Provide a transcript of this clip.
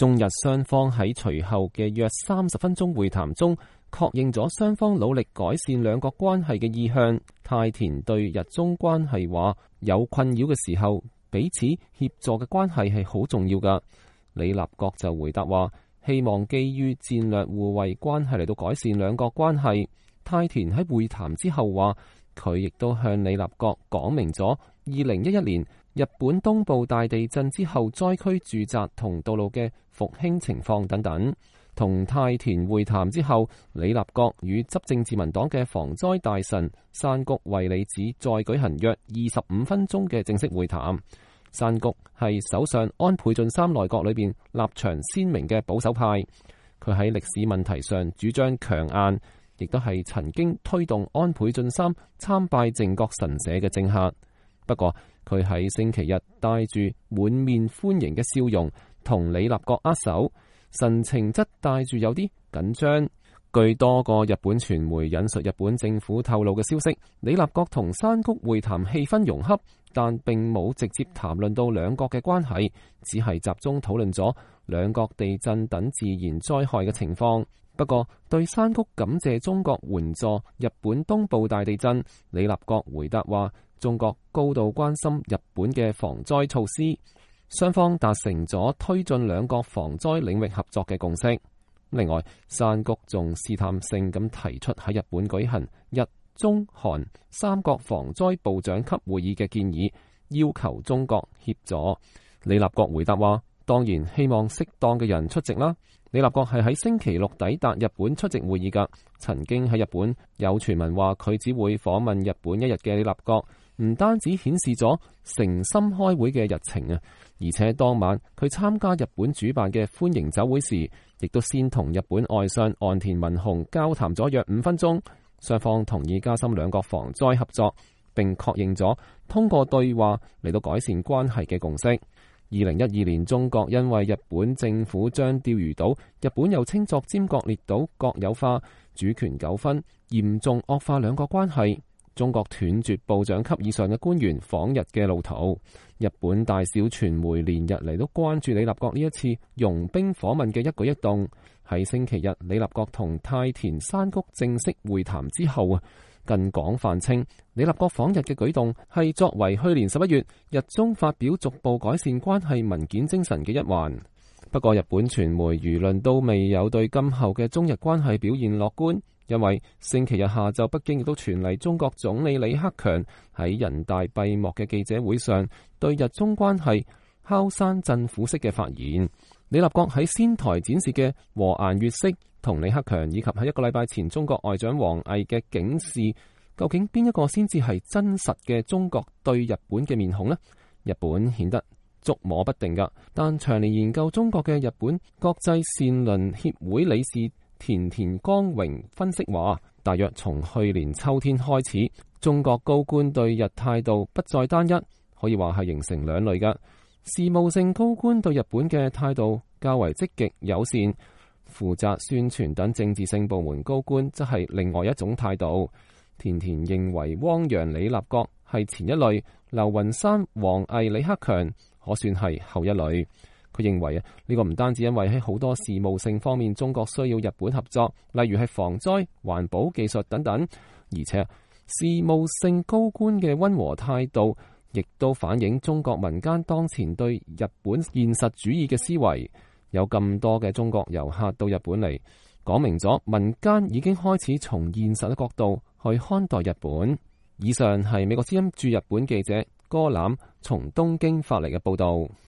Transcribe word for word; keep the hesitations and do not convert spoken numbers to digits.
中日雙方喺隨後嘅約三十分鐘會談中，確認咗雙方努力改善兩國關係嘅意向。泰田對日中關係話，有困擾嘅時候，彼此協助嘅關係係好重要㗎。李立國就回答話，希望基於戰略互惠關係嚟到改善兩國關係。泰田喺會談之後話，佢亦都向李立國講明咗二零一一年日本東部大地震之後災區住宅同道路嘅復興情況等等。同泰田會談之後，李立國與執政自民黨嘅防災大臣山谷惠理子再舉行約二十五分鐘嘅正式會談。山谷係首相安倍晉三內閣裏邊立場鮮明嘅保守派，佢喺歷史問題上主張強硬，亦都係曾經推動安倍晉三參拜靖國神社嘅政客。不過佢喺星期日帶住滿面歡迎嘅笑容同李立國握手，神情則帶住有啲緊張。據多個日本傳媒引述日本政府透露嘅消息，李立國同山谷會談氣氛融洽，但並冇直接談論到兩國嘅關係，只係集中討論咗兩國地震等自然災害嘅情況。不過對山谷感謝中國援助日本東部大地震，李立國回答話，中國高度關心日本嘅防災措施，雙方達成咗推進兩國防災領域合作嘅共識。另外，山谷仲試探性咁提出喺日本舉行日中韓三國防災部長級會議嘅建議，要求中國協助。李立國回答話，當然希望適當嘅人出席啦。李立國係喺星期六抵達日本出席會議㗎。曾經喺日本有傳聞話佢只會訪問日本一日嘅李立國，唔單止顯示咗誠心開會嘅日程啊，而且當晚佢參加日本主辦嘅歡迎酒會時，亦都先同日本外相岸田文雄交談咗約五分鐘，雙方同意加深兩國防災合作，並確認咗通過對話嚟到改善關係嘅共識。二零一二年，中國因為日本政府將釣魚島，日本又稱作尖閣列島國有化，主權糾紛嚴重惡化兩國關係。中國斷絕部長級以上嘅官員訪日嘅路途。日本大小傳媒連日嚟都關注李立國呢一次傭兵訪問嘅一舉一動。喺星期日，李立國同泰田山谷正式會談之後啊，更廣泛稱李立國訪日嘅舉動係作為去年十一月日中發表逐步改善關係文件精神嘅一環。不過日本傳媒輿論都未有對今後嘅中日關係表現樂觀，因為星期日下晝北京亦都傳嚟中國總理李克強喺人大閉幕嘅記者會上對日中關係敲山震虎式嘅發言。李立國喺仙台展示嘅和顏悅色同李克強以及喺一個禮拜前中國外長王毅嘅警示，究竟邊一個先至係真實嘅中國對日本嘅面孔呢？日本顯得捉摸不定噶，但長年研究中國嘅日本國際善鄰協會理事田田光榮分析話，大約從去年秋天開始，中國高官對日態度不再單一，可以話係形成兩類噶。事務性高官對日本嘅態度較為積極友善，負責宣傳等政治性部門高官則係另外一種態度。田田認為汪洋、李立國係前一類，劉雲山、王毅、李克強可算係後一類。佢認為啊，呢個唔單止因為喺好多事務性方面中國需要日本合作，例如係防災、環保、技術等等，而且事務性高官嘅溫和態度亦都反映中國民間當前對日本現實主義嘅思維。有咁多嘅中國遊客到日本嚟，講明咗民間已經開始從現實嘅角度去看待日本。以上係美國之音駐日本記者柯欖從東京發嚟嘅報道。